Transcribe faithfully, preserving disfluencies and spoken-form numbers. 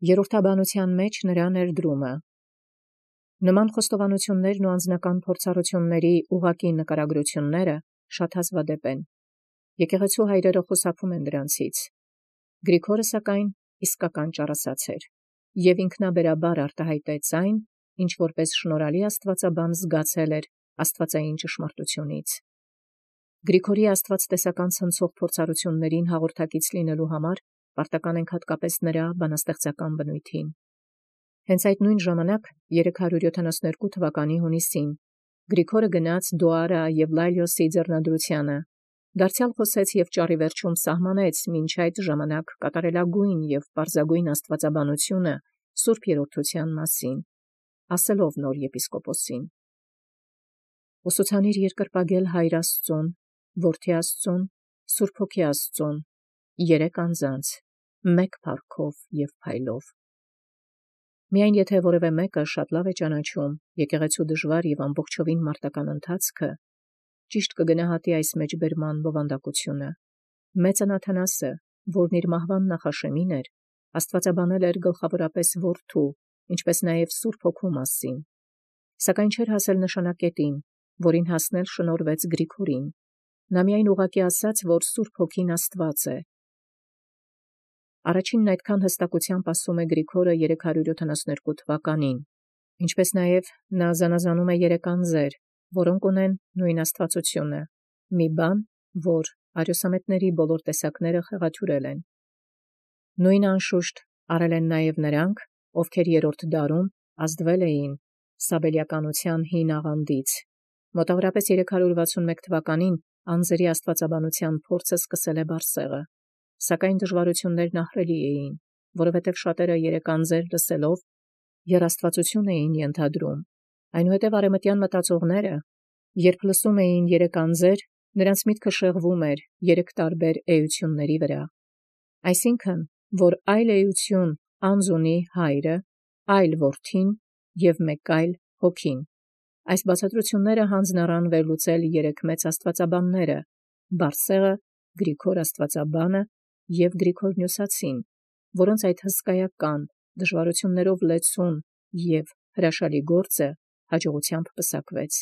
Երրորդաբանութեան մեջ նրա ներդրումը։ Նման խոստովանութիւնքն ու անձնական փորձառութիւնացն ուղղակի նկարագրութիւնքն շատ հազվադեպ են։ Եկեղեցու հայրերը խուսափում են դրանցից։ Գրիգորը սակայն իսկական ճառասած էր, եւ ինքնաբերաբար արտահայտեց այն, ինչ որպես շնորհալի աստուածաբան զգացել էր աստուածային ճշմարտութիւնից։ Գրիգորի աստուածտեսական ցնցող փորձառութիւնացն հաղորդակից լինելու համար պարտական ենք հատկապես նրա բանաստեղծական բնույթին։ Հենց այդ նույն ժամանակ երեք հարյուր յոթանասունյոթ թվականի հունիսին Գրիգորը գնաց Դոարա եւ Լայլիոսի ձեռնադրութեանը, դարձեալ խոսեց եւ ճառի վերջում սահմանեց մինչ այդ ժամանակ կատարելագույն եւ պարզագույն աստուածաբանությունը Սուրբ Երրորդութեան մասին, ասելով նոր եպիսկոպոսին. «Ուսուցանիր երկրպագել Հայր Աստծուն, Որդի Աստծուն, Սուրբ Հոգի Աստծուն, երեք անձանց, մեկ փառքով եւ փայլով»։ Միայն եթե որևէ մեկը շատ լավ է ճանաչում եկեղեցու դժվար եւ ամբողջովին մարտական ընթացքը, ճիշտ կգնահատի այս մեջբերման բովանդակությունը։ Մեծն Աթանասը, որն իր մահվան նախաշեմին էր, աստուածաբանել էր գլխավորապես Որդու, ինչպես նաև Սուրբ Հոգու մասին, սակայն չէր հասել նշանակետին, որին հասնել շնորհվեց Գրիգորին։ Նա միայն ուղղակի ասաց, որ Սուրբ Հոգին Աստված է։ Առաջինն այդքան հստակությամբ ասում է Գրիգորը երեք հարյուր յոթանասունյոթ թվականին, ինչպես նաև նա զանազանում է երեք անձեր, որոնք ունեն նույն աստվածությունը, մի բան, որ արիոսամետների բոլոր տեսակները խեղաթյուրել են։ Նույնը անշուշտ արել են նաև նրանք, ովքեր երրորդ դարում ազդվել էին Սաբելյանականության հին աղանդից։ Մոտավորապես երեք հարյուր վաթսունմեկ թվականին անձերի աստվածաբանության փորձը սկսել է Բարսեղը, սակայն դժվարություններն ահռելի էին, որովհետև շատերը երեք անձեր լսելով եռաստվածություն էին ենթադրում, այնուհետև արևմտյան մտածողները, երբ լսում էին երեք անձեր, նրանց միտքը շեղվում էր երեք տարբեր էությունների վրա, այսինքն, որ այլ էություն անձ ունի Հայրը, այլ Որդին և մեկ այլ Հոգին։ Այս բացատրությունները հանձն առան վերլուծել երեք մեծ աստվածաբանները՝ Բարսեղը, Գրիգոր աստվածաբանը և Գրիգոր Նյուսացին, որոնց այդ հսկայական, դժվարություններով լեցուն և հրաշալի գործը հաջողությամբ պսակվեց։